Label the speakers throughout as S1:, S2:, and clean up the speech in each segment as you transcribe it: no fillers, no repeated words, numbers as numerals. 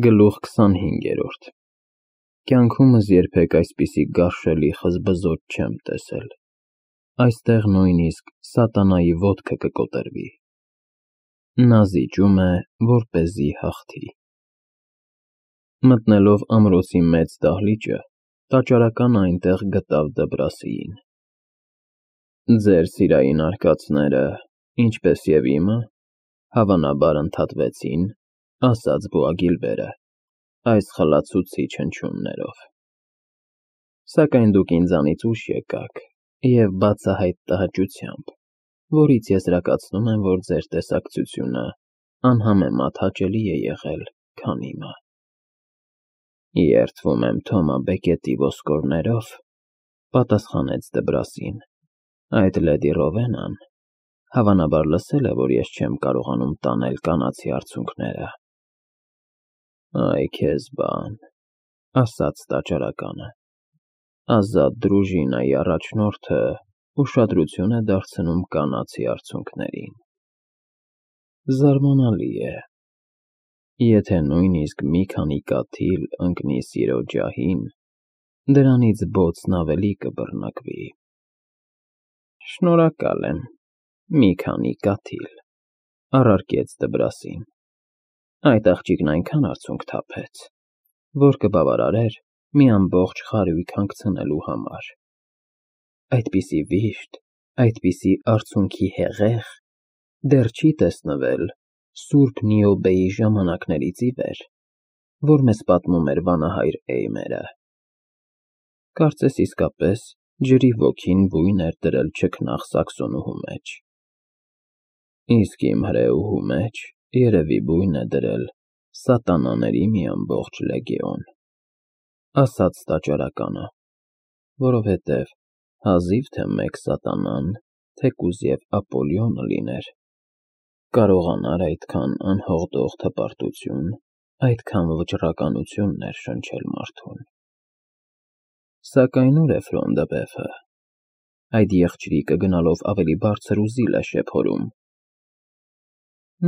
S1: Գլուխ 25 Կյանքումս երբեք այսպիսի գարշելի խզբզոտ չեմ տեսել, այստեղ նույնիսկ սատանայի ոտքը կկոտրվի, նա զիջում է, որպեսզի հաղթի: Մտնելով ամրոցի մեծ դահլիճը, տաճարականը այնտեղ գտավ Դբրասիին: Ձեր սիրային արկածները, ինչպես և իմը, հավանաբար ընդհատվեցին, ասաց Բոագիլբերը, այս խլացուցիչ հնչյուններով: Սակայն դուք ինձանից ուշ եկաք և բացահայտ տհաճությամբ, որից եզրակացնում եմ, որ ձեր տեսակցությունը անհամեմատ հաճելի է եղել, քան իմը: Երդվում եմ Թոմա Բեկետի ոսկորներով, պատասխանեց Դբրասին, այդ լեդի Ռովենան հավանաբար լսել է, որ ես չեմ կարողանում տանել կանացի արցունքները: Այ քեզ բան, ասաց տաճարականը, ազատ դրուժինայի առաջնորդը ուշադրություն է դարձնում կանացի արցունքներին: Զարմանալի է, եթե նույնիսկ մի քանի կաթիլ ընկնի սիրո ջահին, դրանից բոցն ավելի կբռնակվի: Շնորհակալ եմ, մի քանի կաթիլ, առարկեց Դբրասին: Այդ աղջիկն այնքան արցունք թափեց, որ կբավարարեր մի ամբողջ խարույկ հանգցնելու համար: Այդպիսի վիշտ, այդպիսի արցունքի հեղեղ դեռ չի տեսնվել սուրբ Նիոբեի ժամանակներից ի վեր, որ մեզ պատմում էր վանահայր Էյմերը: Կարծես իսկապես ջրի ոգին բույն էր դրել չքնաղ Սաքսոնուհու մեջ: Իսկ իմ հրեուհու մեջ երևի բույն է դրել սատանաների մի ամբողջ լեգեոն, ասաց տաճարականը, որովհետև հազիվ թե մեկ սատանան, թեկուզ և Ապոլյոնը լիներ, կարողանար այդքան անհողդող հպարտություն, այդքան վճռականություն ներշնչել մարդուն: Սակայն ուր է Ֆրոնդը Բեֆը, այդ եղջյուրիկը գնալով ավելի բարձր ու զիլ է շեփորում: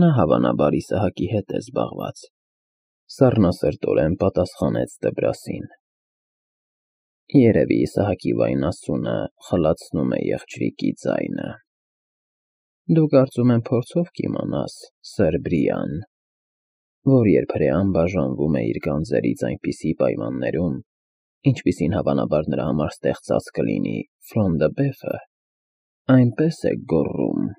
S1: Նա հավանաբար Իսահակի հետ է զբաղված, սառնասրտորեն պատասխանեց Դբրասին: Երևի Իսահակի վայնասունը խլացնում է եղջյուրիկի ձայնը: Դու կարծում եմ փորձով կիմանաս, սըր Բրիան, որ երբ հրեան բաժանվում է իր գանձերից այնպիսի պայմաններում, ինչպիսին հավանաբար նրա համար ստեղծած կլինի Ֆրոնդը Բեֆը, այնպես է գոռում,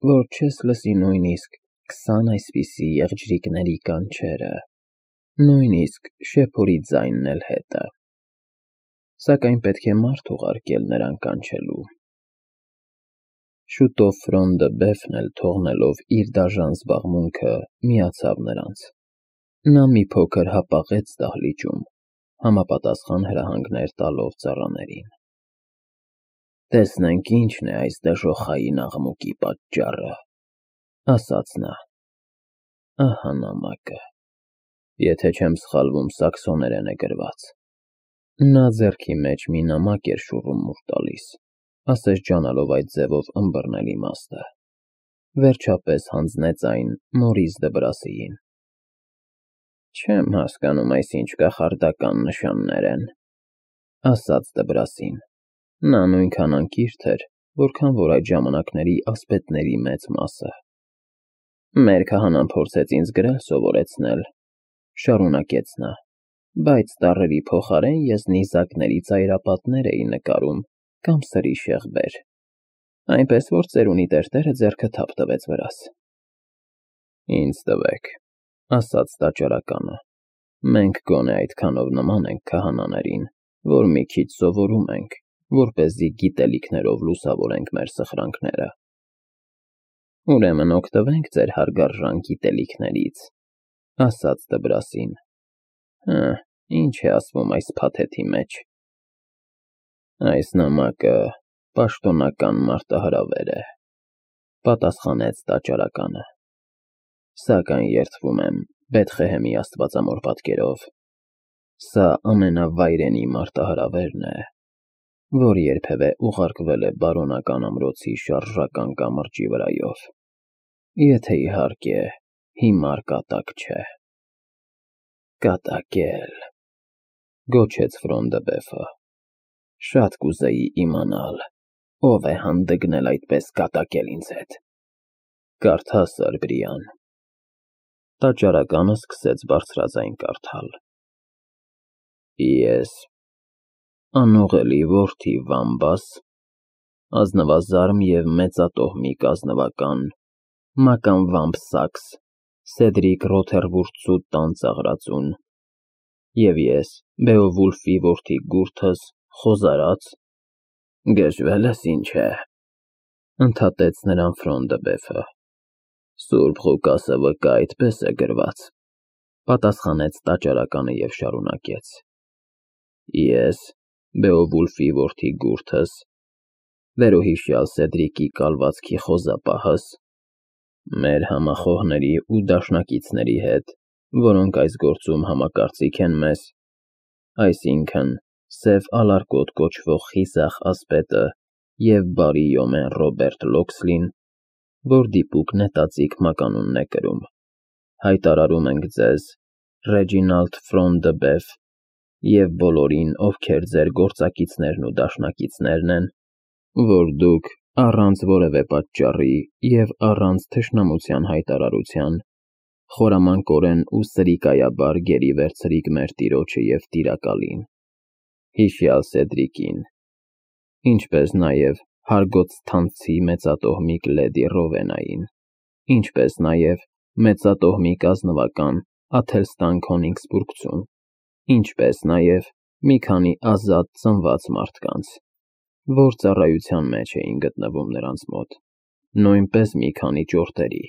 S1: որ չես լսի նույնիսկ 20 այսպիսի եղջյուրիկների կանչերը, նույնիսկ շեփորի ձայնն էլ հետը: Սակայն պետք է մարդ ուղարկել նրան կանչելու: Շուտով Ֆրոնդը Բեֆն էլ թողնելով իր դաժան զբաղմունքը միացավ նրանց: Նա մի փոքր հապաղեց դահլիճում, համապատասխան հրահանգներ տալով ծառաներին: Տեսնենք ինչն է այս դժոխային աղմուկի պատճառը, ասաց նա: Ահա նամակը, եթե չեմ սխալվում սաքսոներեն է գրված: Նա ձեռքի մեջ մի նամակ էր շուռումուռ տալիս, ասես ջանալով այդ ձևով ըմբռնել իմաստը: Վերջապես հանձնեց այն Մորիս Դբրասիին: Չեմ հասկանում այս ինչ կախարդական նշաններ են, ասաց Դբրասին: Նա նույնքան անկիրք էր, որքան որ այդ ժամանակների ասպետների մեծ մասը: Մեր քահանան փորձեց ինձ գրել սովորեցնել, շարունակեց նա, բայց տառերի փոխարեն ես նիզակների ծայրապատներ էի նկարում կամ սրի շեղբեր, այնպես որ ծերունի տերտերը ձեռքը թափ տվեց վրաս: Ինձ տվեք, ասաց տաճարականը, մենք գոնե այդքանով նման ենք քահանաներին, որ մի քիչ սովորում ենք, որպեսզի գիտելիքներով լուսավորենք մեր սխրանքները: Ուրեմն օգտվենք ձեր հարգարժան գիտելիքներից, ասաց Դբրասին: Ինչ է ասվում այս փաթեթի մեջ: Այս նամակը պաշտոնական մարտահրավեր է, պատասխանեց տաճարականը: Սակայն երդվում եմ Բեթղեհեմի աստվածամոր պատկերով, սա ամենավայրենի մարտահրավերն է, որ երբևէ ուղարկվել է բարոնական ամրոցի շարժական կամրջի վրայով, եթե իհարկե հիմար կատակ չէ: Կատակել, գոչեց Ֆրոնդբեֆը, շատ կուզեի իմանալ, ով է հանդգնել այդպես կատակել ինձ հետ։ Կարդա, Սարբրիան։ Տաճարականը սկսեց բարձրաձայն կարդալ։ Ես, անուղելի որդի Վամբաս, ազնվազարմ և մեծատոհմիկ ազնվական, Մական Վամբսակս, Սեդրիկ Ռոթերվուրդսու տան ծաղրածուն, և ես, Բեովուլֆի որդի Գուրթս, խոզարած, գժվել ես ինչ է, ընդհատեց նրան Ֆրոնդբեֆը։ Սուրբ Ղուկասը վկա այդպես է գրված, պատասխանեց տաճարականը և շարունակեց. Ես, Բեովուլֆի որդի Գուրթս, վերոհիշյալ Սեդրիկի կալվածքի խոզապահս, մեր համախոհների ու դաշնակիցների հետ, որոնք այս գործում համակարծիք են մեզ, այսինքն Սև Ալարկոտ կոչվող խիզախ ասպետը և բարի Յոմեն Ռոբերտ Լոքսլին, որ դիպուկ նետածիկ մականունն է կրում, հայտարարում ենք ձեզ, Ռեջինալդ Ֆրոնդբեֆ և բոլորին, ովքեր ձեր գործակիցներն ու դաշնակիցներն են, որ դուք առանց որևէ պատճառի և առանց թշնամության հայտարարության խորամանկորեն ու սրիկայաբար գերի վերցրիք մեր տիրոջը և տիրակալին, հիշյալ Սեդրիկին, ինչպես նաև Հարգոցթանցի մեծատոհմիկ լեդի Ռովենային, ինչպես նաև մեծատոհմիկ ազնվական Աթելստան Քոնիգսբուրգցուն, ինչպես նաև մի քանի ազատ ծնված մարդկանց, որ ծառայության մեջ էին գտնվում նրանց մոտ, նույնպես մի քանի ճորտերի,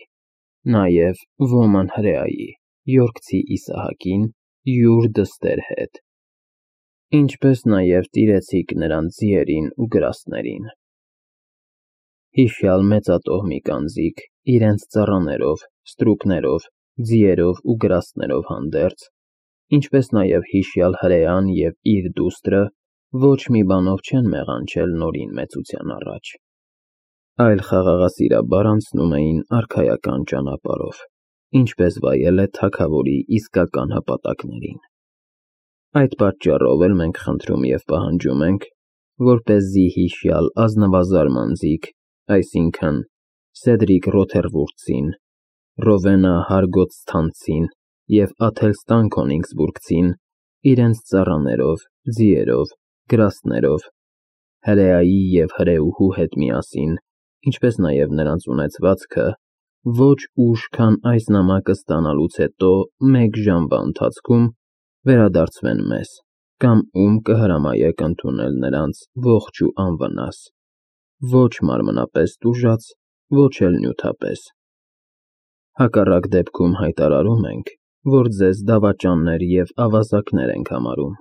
S1: նաև ոման հրեայի, Յորքցի Իսահակին, յուր դստեր հետ, ինչպես նաև տիրեցիք նրանց ձիերին ու գրաստներին։ Հիշյալ մեծատոհմիկ անձիկ իրենց ծառաներով, ստրուկներով, ձիերով ու գրաստներով հանդերձ, ինչպես նաև հիշյալ հրեան և իր դուստրը ոչ մի բանով չեն մեղանչել նորին մեծության առաջ, այլ խաղաղասիրաբար անցնում էին արքայական ճանապարհով, ինչպես վայել է թագավորի իսկական հպատակներին։ Այդ պատճառով էլ մենք խնդրում և պահանջում ենք, որպեսզի հիշյալ ազնվազարմ անձիկ, այսինքն Սեդրիկ Ռոթերվուրդսին, Ռովենա Հարգոցթանցին և Աթելստան Քոնիգսբուրգցին իրենց ծառաներով, ձիերով, գրաստներով, հրեայի և հրեուհու հետ միասին, ինչպես նաև նրանց ունեցվածքը, ոչ ուշ, քան այս նամակը ստանալուց հետո մեկ ժամվա ընթացքում վերադարձվեն մեզ, կամ ում կհրամայեք ընդունել նրանց ողջ ու անվնաս, ոչ մարմնապես տուժած, ոչ էլ նյութապես։ Հակառակ դեպքում հայտարարում ենք, որ ձեզ դավաճաններ և ավազակներ ենք համարում,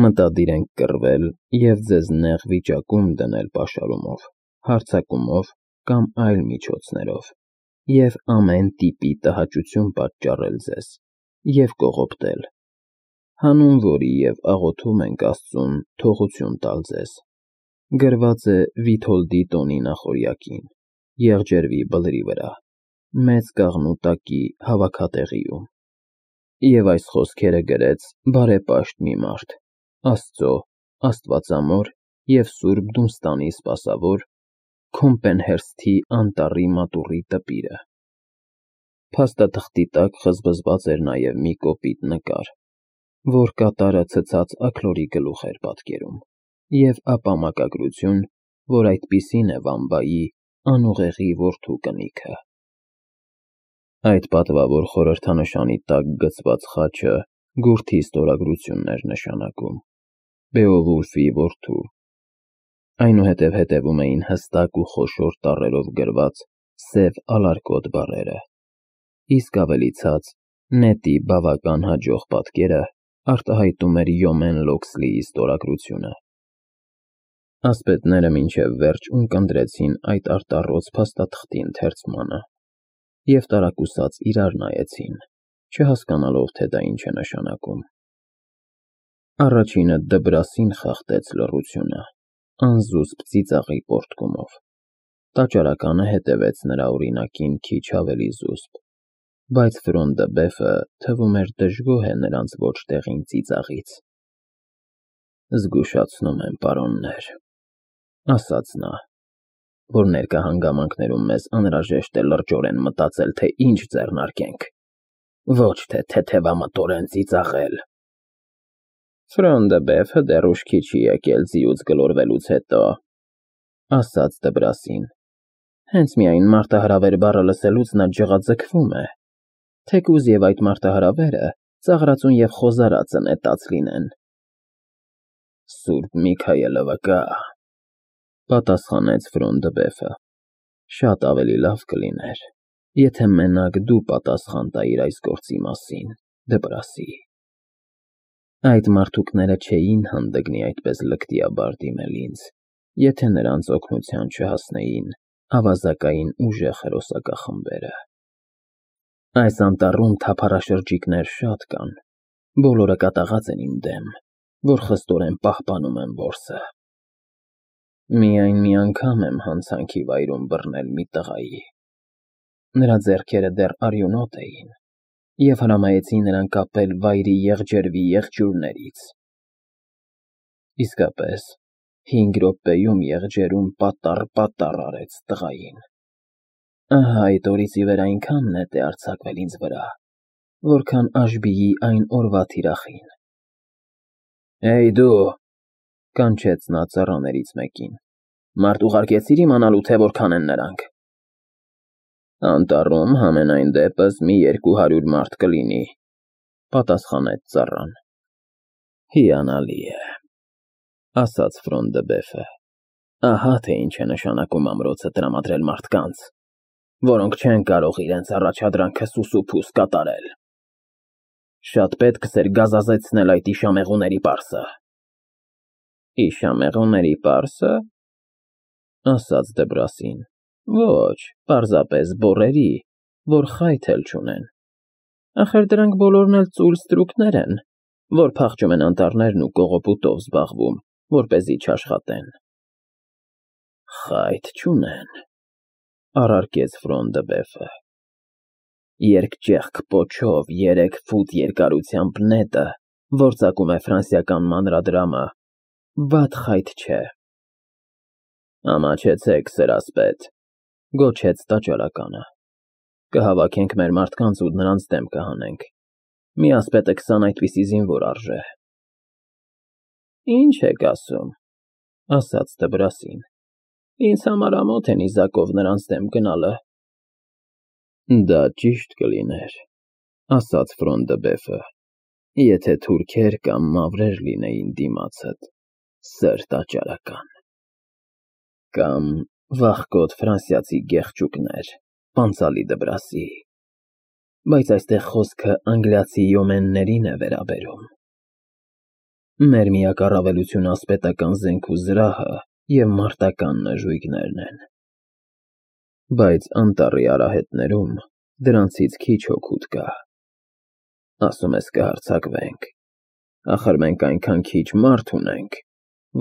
S1: մտադիր ենք կռվել և ձեզ նեղ վիճակում դնել պաշարումով, հարձակումով կամ այլ միջոցներով և ամեն տիպի տհաճություն պատճառել ձեզ և կողոպտել, հանուն որի և աղոթում ենք Աստծուն թողություն տալ ձեզ։ Գրված է Վիթոլդի տոնի նախօրյակին, Եղջերվի բլրի վրա, մեծ կաղնու տակի հավաքատեղիում։ Եվ այս խոսքերը գրեց բարեպաշտ մի մարդ, Աստծո, աստվածամոր և Սուրբ Դունստանի սպասավոր, Քոմպենհերսթի անտառի մատուռի տպիրը։ Փաստաթղթի տակ խզբզված էր նաև մի կոպիտ նկար, որ կատարը ցցած աքլորի գլուխ էր պատկերում, և ապա մակագրություն, որ այդպիսին է Վամբայի անուղեղի որդու կնիքը։ Այդ պատվավոր խորհրդանշանի տակ գծված խաչը Գուրթի ստորագրությունն էր նշանակում, Բեովուլֆի որդու։ Այնուհետև հետևում էին հստակ ու խոշոր տառերով գրված Սև Ալարկոտ բառերը, իսկ ավելի ցած նետի բավական հաջող պատկերը արտահայտում էր Յոմեն Լոքսլիի ստորագրությունը։ Ասպետները մինչև վերջ ունկնդրեցին այդ արտառոց փաստաթղթի ընթերցմանը և տարակուսած իրար նայեցին, չհասկանալով, թե դա ինչ է նշանակում։ Առաջինը դբրասին խախտեց լռությունը, անզուսպ ծիծաղի պոռթկումով, տաճարականը հետևեց նրա օրինակին քիչ ավելի զուսպ, Բայց Ֆրոնդը Բեֆը թվում էր դժգոհ է նրանց ոչ տեղին ծիծաղից։ Զգուշացնում եմ, պարոններ, ասաց նա, որ ներկա հանգամանքներում մեզ անհրաժեշտ է լրջորեն մտածել, թե ինչ ձեռնարկենք, ոչ թե թեթևամտորեն ծիծաղել։ Ֆրոնդը Բեֆը դեռ ուշքի չի եկել ձիուց գլորվելուց հետո, ասաց Դբրասին։ Հենց միայն մարտահրավեր բառը լսելուց նա ջղաձգվում է, թեկուզ և այդ մարտահրավերը ծաղրածուն և խոզարածը նետած լինեն։ Սուրբ Միքայելը վկա, պատասխանեց Ֆրոնդը Բեֆը, շատ ավելի լավ կլիներ, եթե մենակ դու պատասխան տայիր այս գործի մասին, Դբրասի։ Այդ մարդուկները չէին հանդգնի այդպես լկտիաբար դիմել ինձ, եթե նրանց օգնության չհասնեին ավազակային ուժեղ հերոսակախմբերը։ Այս անտառում թափառաշրջիկներ շատ կան, բոլորը կատաղած են իմ դեմ, որ խստորեն պահպանում եմ որսը։ Միայն մի անգամ եմ հանցանքի վայրում բռնել մի տղայի։ Նրա ձեռքերը դեռ արյունոտ էին, և հրամայեցի նրան կապել վայրի եղջերվի եղջյուրներից։ Իսկապես, 5 րոպեում եղջերուն պատառ արեց տղային։ Ահա այդ օրից ի վեր այնքան նետ է արձակվել ինձ վրա, որքան Աշբիի այն օրվա թիրախին։ Էй դու, կանչեց նա ծառաներից մեկին, մարդ ուղարկեցի՞ր իմանալու, թե որքան են նրանք։ Անտառում համենայն դեպս մի 200 մարդ կլինի, պատասխանեց ծառան։ Հիանալի է, ասաց Ֆրոնդը Բեֆը։ Ահա թե ինչ է նշանակում ամրոցը տրամադրել մարդկանց, որոնք չեն կարող իրենց առաջադրանքը սուսուփուս կատարել։ Շատ պետք էր գազազեցնել այդ իշամեղուների պարսը։ Իշամեղուների պարսը, ասաց Դբրասին։ Ոչ, պարզապես բոռերի, որ խայթ էլ չունեն։ Ախր դրանք բոլորն էլ ծուլ ստրուկներ են, որ փախչում են անտառներն ու կողոպուտով զբաղվում, որպեսզի չաշխատեն։ Խայթ չունեն, առարկեց Ֆրոնդը Բեֆը։ Երկճեղք պոչով 3 ֆուտ երկարությամբ նետը, որ ծակում է ֆրանսիական մանրադրամը, վատ խայթ չէ։ Ամաչեցեք, սրասպետ, գոչեց տաճարականը։ Կհավաքենք մեր մարդկանց ու նրանց դեմ կհանենք։ Մի ասպետը 20 այդպիսի զինվոր արժե։ Ինչ եք ասում, ասաց Դբրասին։ Ինձ համար ամոթ է նիզակով նրանց դեմ գնալը։ Դա ճիշտ կլիներ, ասաց Ֆրոնդը Բեֆը, եթե թուրքեր կամ մավրեր լինեին դիմացդ, սր տաճարական։ Կամ վախկոտ ֆրանսիացի գեղչուկներ, պանծալի Դբրասի, բայց այստեղ խոսքը անգլիացի յոմեններին է վերաբերում։ Մեր միակ առավելությունը ասպետական զենք ու զրահը և մարտական նժույգներն են։ Բայց անտառի արահետներում դրանցից քիչ օգուտ կա։ Ասում ես կհարձակվենք, ախր մենք այնքան քիչ մարդ ունենք,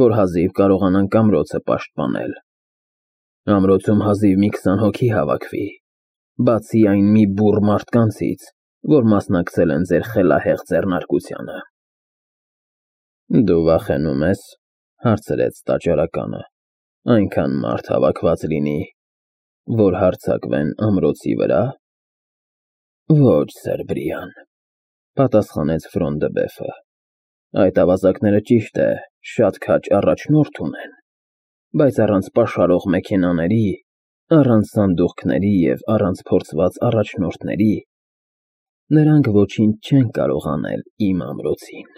S1: որ հազիվ կարողանանք ամրոցը պաշտպանել։ Ամրոցում հազիվ մի 20 հոգի հավաքվի, բացի այն մի բուռ մարդկանցից, որ մասնակցել են ձեր խելահեղ ձեռնարկությանը։ Դու վախենում ես, հարցրեց տաճարականը, այնքան մարդ հավաքված լինի, որ հարձակվեն ամրոցի վրա։ Ոչ, Սերբրիան, պատասխանեց Ֆրոնդը Բեֆը։ Այդ ավազակները ճիշտ է, շատ քաջ առաջնորդ ունեն, բայց առանց պաշարող մեքենաների, առանց սանդուղքների և առանց փորձված առաջնորդների նրանք ոչինչ չեն կարող անել իմ ամրոցին։